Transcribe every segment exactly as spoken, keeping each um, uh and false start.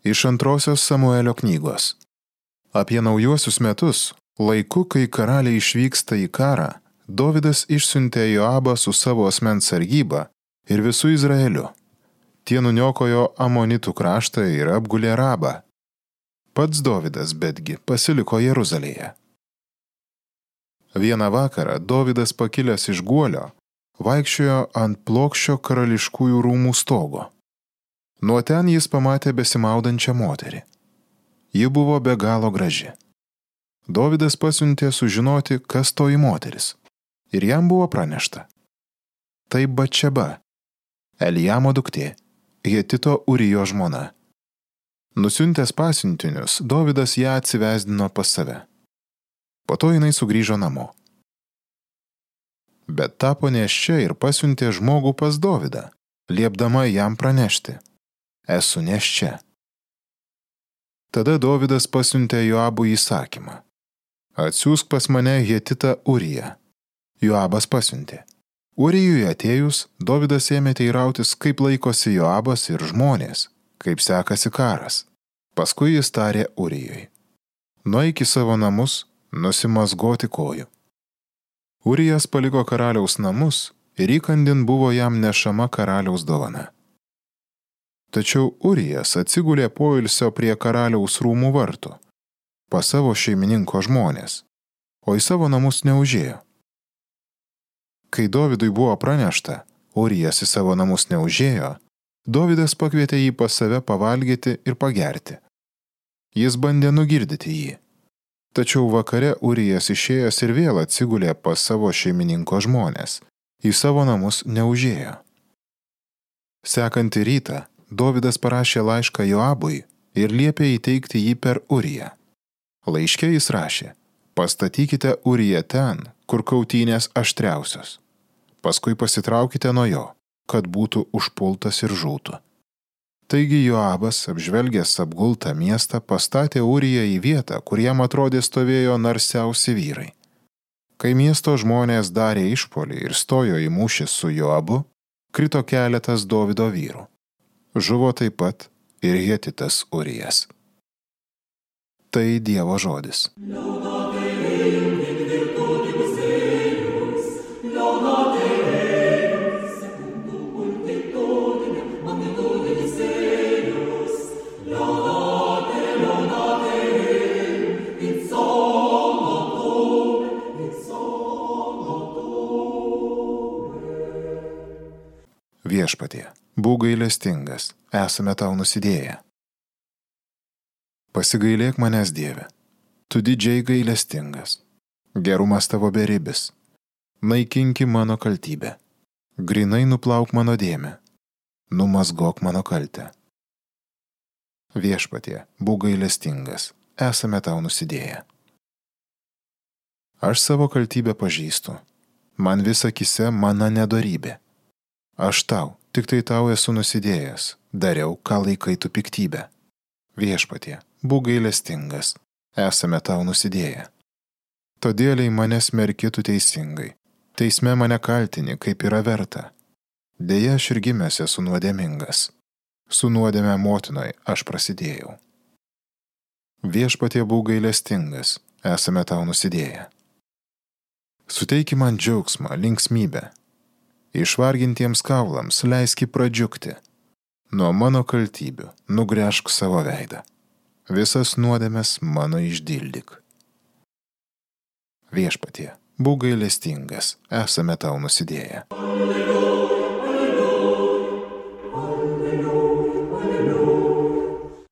Iš antrosios Samuelio knygos. Apie naujuosius metus, laiku, kai karaliai išvyksta į karą, Dovydas išsiuntė Joabą su savo asmens sargyba ir visų Izraeliu. Tie nuniokojo Amonitų kraštą ir apgulė Rabą. Pats Dovydas betgi pasiliko Jeruzalėje. Vieną vakarą Dovydas pakilęs iš guolio vaikščiojo ant plokščio karališkųjų rūmų stogo. Nuo ten jis pamatė besimaudančią moterį. Ji buvo be galo graži. Dovydas pasiuntė sužinoti, kas toji moteris. Ir jam buvo pranešta. Tai Batšeba, Eliamo duktė, Hetito Urijo žmona. Nusiuntęs pasiuntinius, Dovydas ją atsivesdino pas save. Po to jinai sugrįžo namo. Bet tapo nėščia ir pasiuntė žmogų pas Dovydą, liepdama jam pranešti. Esu nėščia. Tada Dovydas pasiuntė Joabui įsakymą. Atsiųsk pas mane Hetitą Uriją. Joabas pasiuntė. Urijui atėjus, Dovydas ėmė teirautis, kaip laikosi Joabas ir žmonės, kaip sekasi karas. Paskui jis tarė Urijui. Nueik į savo namus, nusimazgoti kojų. Urijas paliko karaliaus namus ir įkandin buvo jam nešama karaliaus dovana. Tačiau Urijas atsigulė poilsio prie karaliaus rūmų vartų, pas savo šeimininko žmonės, o į savo namus neužėjo. Kai Dovydui buvo pranešta, Urijas į savo namus neužėjo, Dovydas pakvietė jį pas save pavalgyti ir pagerti. Jis bandė nugirdyti jį. Tačiau vakare Urijas išėjęs ir vėl atsigulė pas savo šeimininko žmonės, į savo namus neužėjo. Sekantį rytą Dovydas parašė laišką Joabui ir liepė įteikti jį per Uriją. Laiške jis rašė: pastatykite Uriją ten, kur kautynės aštriausios. Paskui pasitraukite nuo jo, kad būtų užpultas ir žūtų. Taigi Joabas, apžvelgęs apgultą miestą, pastatė Uriją į vietą, kur jam atrodė stovėjo narsiausi vyrai. Kai miesto žmonės darė išpuolį ir stojo į mūšį su Joabu, krito keletas Dovydo vyrų. Žuvo taip pat ir Hetitas Urijas. Tai Dievo žodis. Viešpatie, būk gailestingas, esame tau nusidėję. Pasigailėk manęs, Dieve, tu didžiai gailestingas, gerumas tavo beribis, naikinki mano kaltybę, grinai nuplauk mano dėmę, numazgok mano kaltę. Viešpatie, būk gailestingas, esame tau nusidėję. Aš savo kaltybę pažįstu, man vis akyse mano nedorybė. Aš tau, tik tai tau esu nusidėjęs, dariau, ką laikai tu piktybę. Viešpatie, būk gailestingas, esame tau nusidėję. Todėl į mane smerki tu teisingai, teisme mane kaltini, kaip yra verta. Deja, aš ir gimęs esu nuodėmingas, su nuodėme motinoj aš prasidėjau. Viešpatie, būk gailestingas, esame tau nusidėję. Suteiki man džiaugsmą, linksmybę. Išvargintiems kaulams leiski pradžiugti. Nuo mano kaltybių nugręžk savo veidą. Visas nuodėmes mano išdildyk. Viešpatie, būk gailestingas, esame tau nusidėję.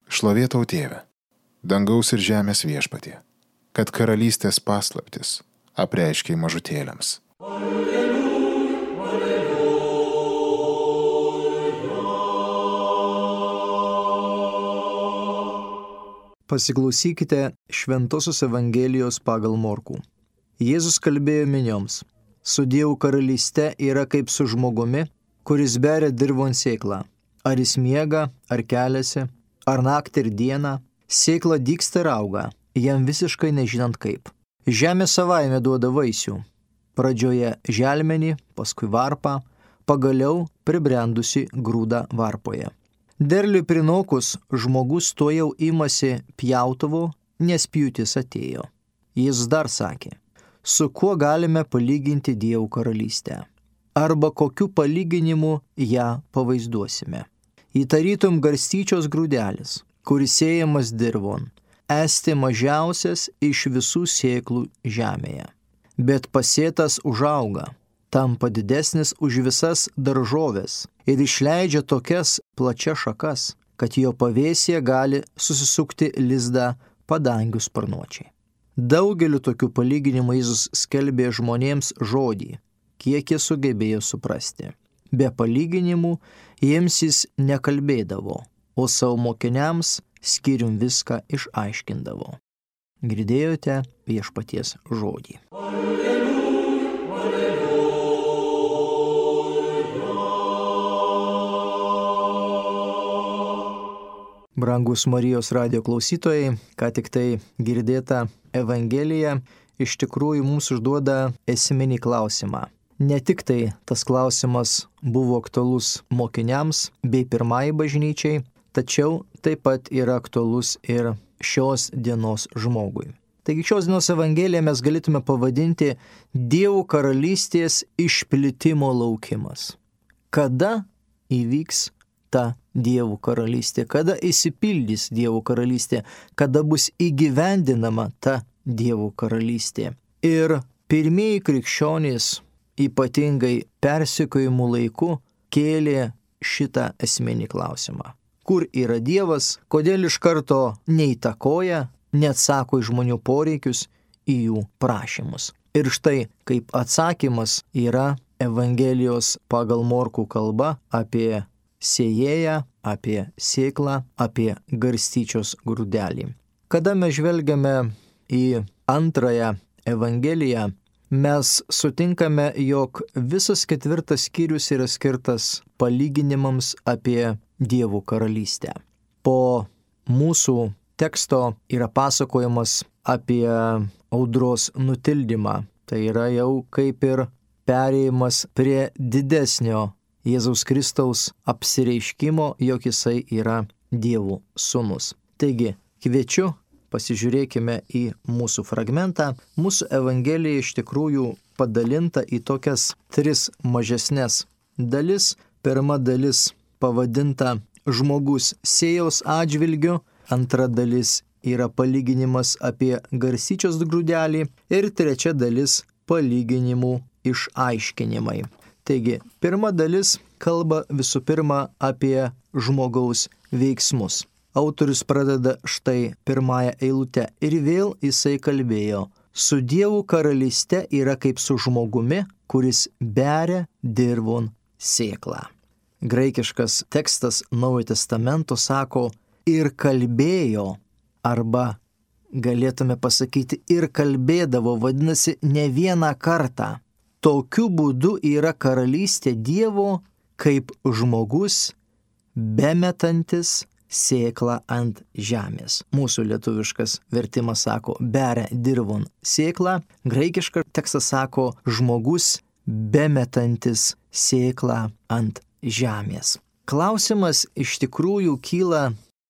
Šlovė tau, Tėve, dangaus ir žemės viešpatie, kad karalystės paslaptis apreiškei mažutėliams. Pasiklausykite Šventosios Evangelijos pagal Morkų. Jėzus kalbėjo minioms: su Dievo karalyste yra kaip su žmogumi, kuris beria dirvon sėklą. Ar jis miega, ar keliasi, ar naktį ir dieną, sėkla dygsta ir auga, jam visiškai nežinant kaip. Žemė savaime duoda vaisių. Pradžioje želmenį, paskui varpą, pagaliau pribrendusi grūdą varpoje. Derliui prinokus žmogus to jau imasi pjautuvo, nes pjūtis atėjo. Jis dar sakė, su kuo galime palyginti Dievo karalystę? Arba kokiu palyginimu ją pavaizduosime? Įtarytum garstyčios grūdelis, kuris sėjamas dirvon, esti mažiausias iš visų sėklų žemėje. Bet pasėtas užauga, tampa didesnis už visas daržoves ir išleidžia tokias plačias šakas, kad jo pavėsyje gali susisukti lizdą padangių sparnuočiai. Daugeliu tokių palyginimų Jėzus skelbė žmonėms žodį, kiek jie sugebėjo suprasti. Be palyginimų jiems jis nekalbėdavo, o savo mokiniams skyrium viską išaiškindavo. Girdėjote viešpaties žodį. Brangus Marijos radijo klausytojai, ką tik tai girdėta Evangelija iš tikrųjų mums užduoda esminį klausimą. Ne tik tai tas klausimas buvo aktualus mokiniams bei pirmai bažnyčiai, tačiau taip pat yra aktualus ir šios dienos žmogui. Taigi šios dienos Evangeliją mes galėtume pavadinti Dievo karalystės išplitimo laukimas. Kada įvyks ta Dievo karalystė, kada įsipildys Dievo karalystė, kada bus įgyvendinama ta Dievo karalystė. Ir pirmieji krikščionys, ypatingai persekiojimų laiku, kėlė šitą esminį klausimą. Kur yra Dievas, kodėl iš karto neįtakoja, neatsako į žmonių poreikius, į jų prašymus. Ir štai kaip atsakymas yra Evangelijos pagal Morkų kalba apie sėjėją, apie sėklą, apie garstyčios grūdelį. Kada mes žvelgiame į antrąją Evangeliją, mes sutinkame, jog visas ketvirtas skyrius yra skirtas palyginimams apie Dievo karalystę. Po mūsų teksto yra pasakojimas apie audros nutildymą. Tai yra jau kaip ir perėjimas prie didesnio Jėzaus Kristaus apsireiškimo, jog jisai yra Dievo sūnus. Taigi, kviečiu, pasižiūrėkime į mūsų fragmentą. Mūsų Evangelija iš tikrųjų padalinta į tokias tris mažesnes dalis. Pirma dalis pavadinta žmogus sėjos atžvilgiu, antra dalis yra palyginimas apie garstyčios grūdelį ir trečia dalis palyginimų išaiškinimai. Taigi, pirma dalis kalba visų pirma apie žmogaus veiksmus. Autorius pradeda štai pirmąją eilutę ir vėl jisai kalbėjo, su Dievo karalyste yra kaip su žmogumi, kuris beria dirvon sėklą. Graikiškas tekstas Naujojo testamento sako ir kalbėjo, arba galėtume pasakyti ir kalbėdavo, vadinasi ne vieną kartą. Tokiu būdu yra karalystė Dievo kaip žmogus bemetantis sėklą ant žemės. Mūsų lietuviškas vertimas sako beria dirvon sėklą, graikiškas tekstas sako žmogus bemetantis sėklą ant žemės. Klausimas iš tikrųjų kyla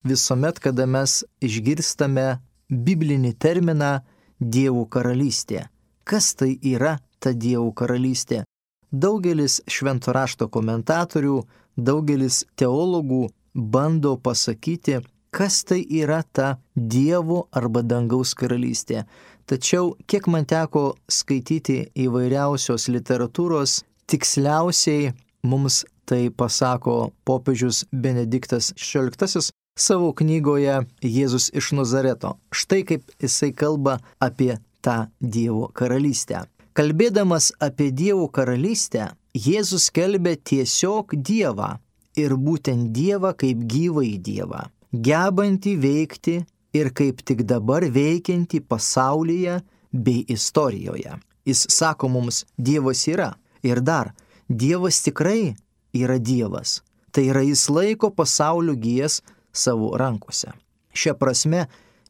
visuomet, kada mes išgirstame biblinį terminą Dievo karalystė. Kas tai yra ta Dievo karalystė? Daugelis švento rašto komentatorių, daugelis teologų bando pasakyti, kas tai yra ta Dievo arba dangaus karalystė. Tačiau, kiek man teko skaityti įvairiausios literatūros, tiksliausiai mums tai pasako popiežius Benediktas šešioliktasis savo knygoje Jėzus iš Nazareto. Štai kaip jisai kalba apie tą Dievo karalystę. Kalbėdamas apie Dievo karalystę, Jėzus skelbė tiesiog Dievą ir būtent Dievą kaip gyvąjį Dievą, gebantį veikti ir kaip tik dabar veikiantį pasaulyje bei istorijoje. Jis sako mums, Dievas yra. Ir dar, Dievas tikrai yra Dievas. Tai yra jis laiko pasaulio gijas savo rankose. Šia prasme,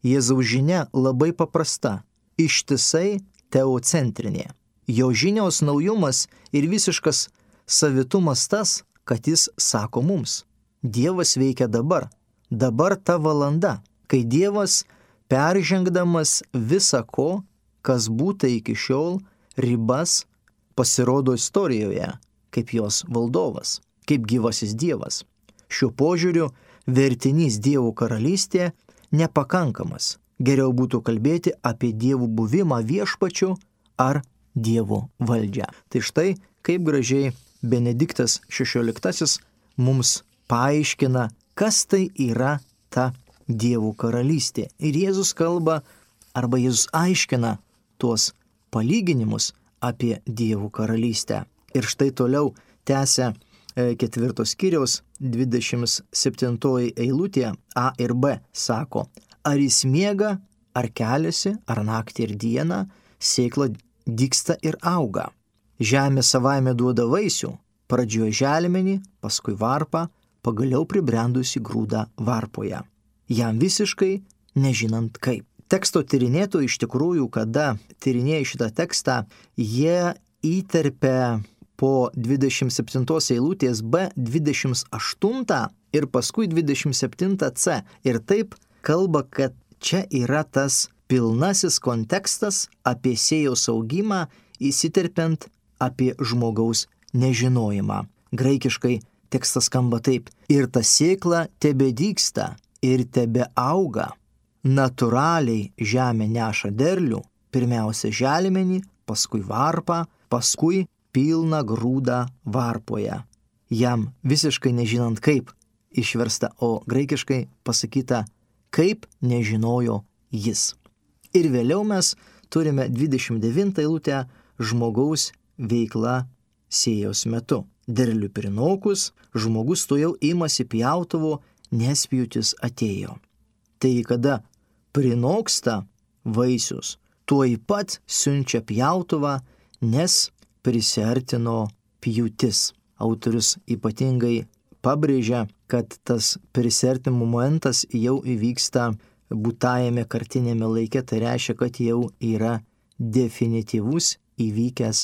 Jėzaus žinia labai paprasta, ištisai teocentrinė. Jo žinios naujumas ir visiškas savitumas tas, kad jis sako mums, Dievas veikia dabar. Dabar ta valanda, kai Dievas, peržengdamas visą ko, kas būta iki šiol, ribas, pasirodo istorijoje kaip jos valdovas, kaip gyvasis Dievas. Šiuo požiūriu vertinys Dievo karalystė nepakankamas. Geriau būtų kalbėti apie Dievų buvimą viešpačiu ar Dievo valdžią. Tai štai kaip gražiai Benediktas šešioliktasis mums paaiškina, kas tai yra ta Dievo karalystė. Ir Jėzus kalba, arba Jėzus aiškina tuos palyginimus apie Dievo karalystę. Ir štai toliau tęsia ketvirtos skyriaus dvidešimt septintoji eilutė A ir B sako, ar jis miega, ar keliasi, ar naktį ir dieną, sėkla dygsta ir auga. Žemė savaime duoda vaisių, pradžioje želmenį, paskui varpą, pagaliau pribrendusi grūdą varpoje. Jam visiškai nežinant kaip. Teksto tyrinėtojai iš tikrųjų, kada tyrinėja šitą tekstą, jie įterpia po dvidešimt septintos eilutės B dvidešimt aštuntą ir paskui dvidešimt septintą C. Ir taip kalba, kad čia yra tas pilnasis kontekstas apie sėjos augimą, įsiterpiant apie žmogaus nežinojimą. Graikiškai tekstas skamba taip. Ir ta sėkla tebedygsta ir tebe auga. Natūraliai žemė neša derlių, pirmiausia želmenį, paskui varpą, paskui pilną grūdą varpoje. Jam visiškai nežinant kaip išversta, o graikiškai pasakyta, kaip nežinojo jis. Ir vėliau mes turime dvidešimt devintą eilutę žmogaus veikla sėjos metu. Derlių prinokus, žmogus tuojau imasi pjautuvo, nes pjūtis atėjo. Tai kada prinoksta vaisius, tuoj pat siunčia pjautuvą, nes prisiartino pjūtis. Autorius ypatingai pabrėžia, kad tas prisiartimo momentas jau įvyksta būtajame kartinėme laike, tai reiškia, kad jau yra definityvus įvykęs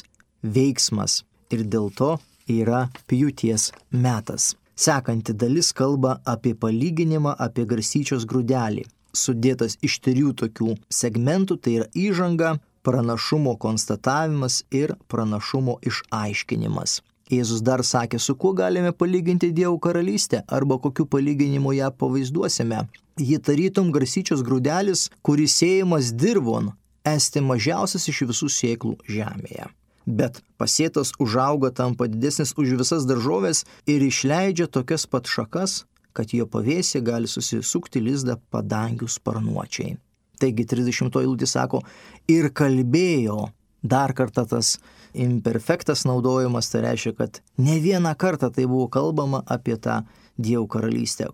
veiksmas ir dėl to yra pjūties metas. Sekanti dalis kalba apie palyginimą apie garstyčios grūdelį. Sudėtas iš trijų tokių segmentų, tai yra įžanga, pranašumo konstatavimas ir pranašumo išaiškinimas. Jėzus dar sakė, su kuo galime palyginti Dievo karalystę arba kokiu palyginimu ją pavaizduosime. Ji tarytum garstyčios grūdelis, kuris sėjamas dirvon, esti mažiausias iš visų sėklų žemėje. Bet pasėtas užauga, tampa didesnis už visas daržovės ir išleidžia tokias pat šakas, kad jo pavėsė gali susisukti lizdą padangių sparnuočiai. Taigi trisdešimtoji eilutė sako, ir kalbėjo, dar kartą tas imperfektas naudojimas, tai reiškia, kad ne vieną kartą tai buvo kalbama apie tą Dievo karalystę.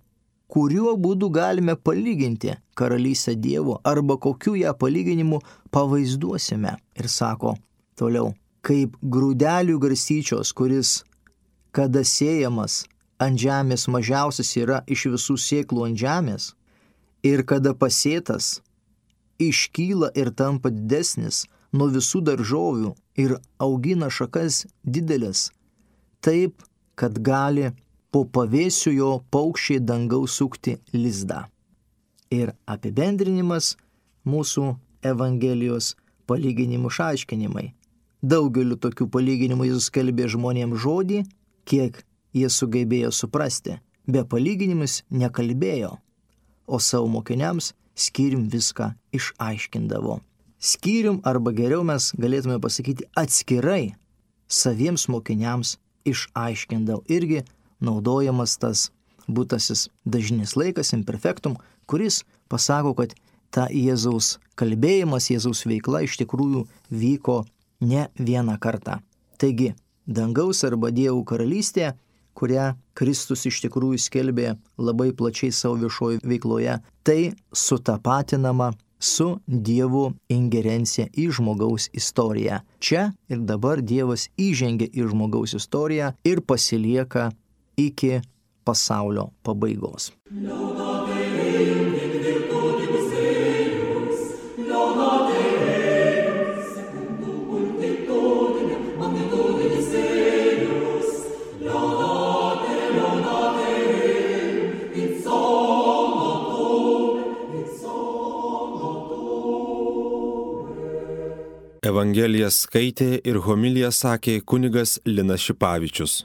Kuriuo būdu galime palyginti karalystę Dievo arba kokiu ją palyginimu pavaizduosime. Ir sako toliau, kaip grūdelių garstyčios, kuris kada sėjamas ant žemės mažiausias yra iš visų sėklų ant žemės ir kada pasėtas iškyla ir tampa didesnis nuo visų daržovių ir augina šakas didelės, taip, kad gali po pavėsiu jo paukščiai dangaus sukti lizdą. Ir apibendrinimas mūsų Evangelijos palyginimų išaiškinimai. Daugeliu tokių palyginimų Jėzus kalbė žmonėms žodį, kiek jie sugebėjo suprasti. Be palyginimus nekalbėjo, o savo mokiniams skyrium viską išaiškindavo. Skyrium, arba geriau mes galėtume pasakyti atskirai, saviems mokiniams išaiškindavo. Irgi naudojamas tas būtasis dažnis laikas, imperfektum, kuris pasako, kad ta Jėzaus kalbėjimas, Jėzaus veikla iš tikrųjų vyko ne vieną kartą. Taigi, dangaus arba Dievo karalystė, kurią Kristus iš tikrųjų skelbė labai plačiai savo viešoje veikloje, tai sutapatinama su Dievo ingerencija į žmogaus istoriją. Čia ir dabar Dievas įžengia į žmogaus istoriją ir pasilieka iki pasaulio pabaigos. Evangeliją skaitė ir homiliją sakė kunigas Linas Šipavičius.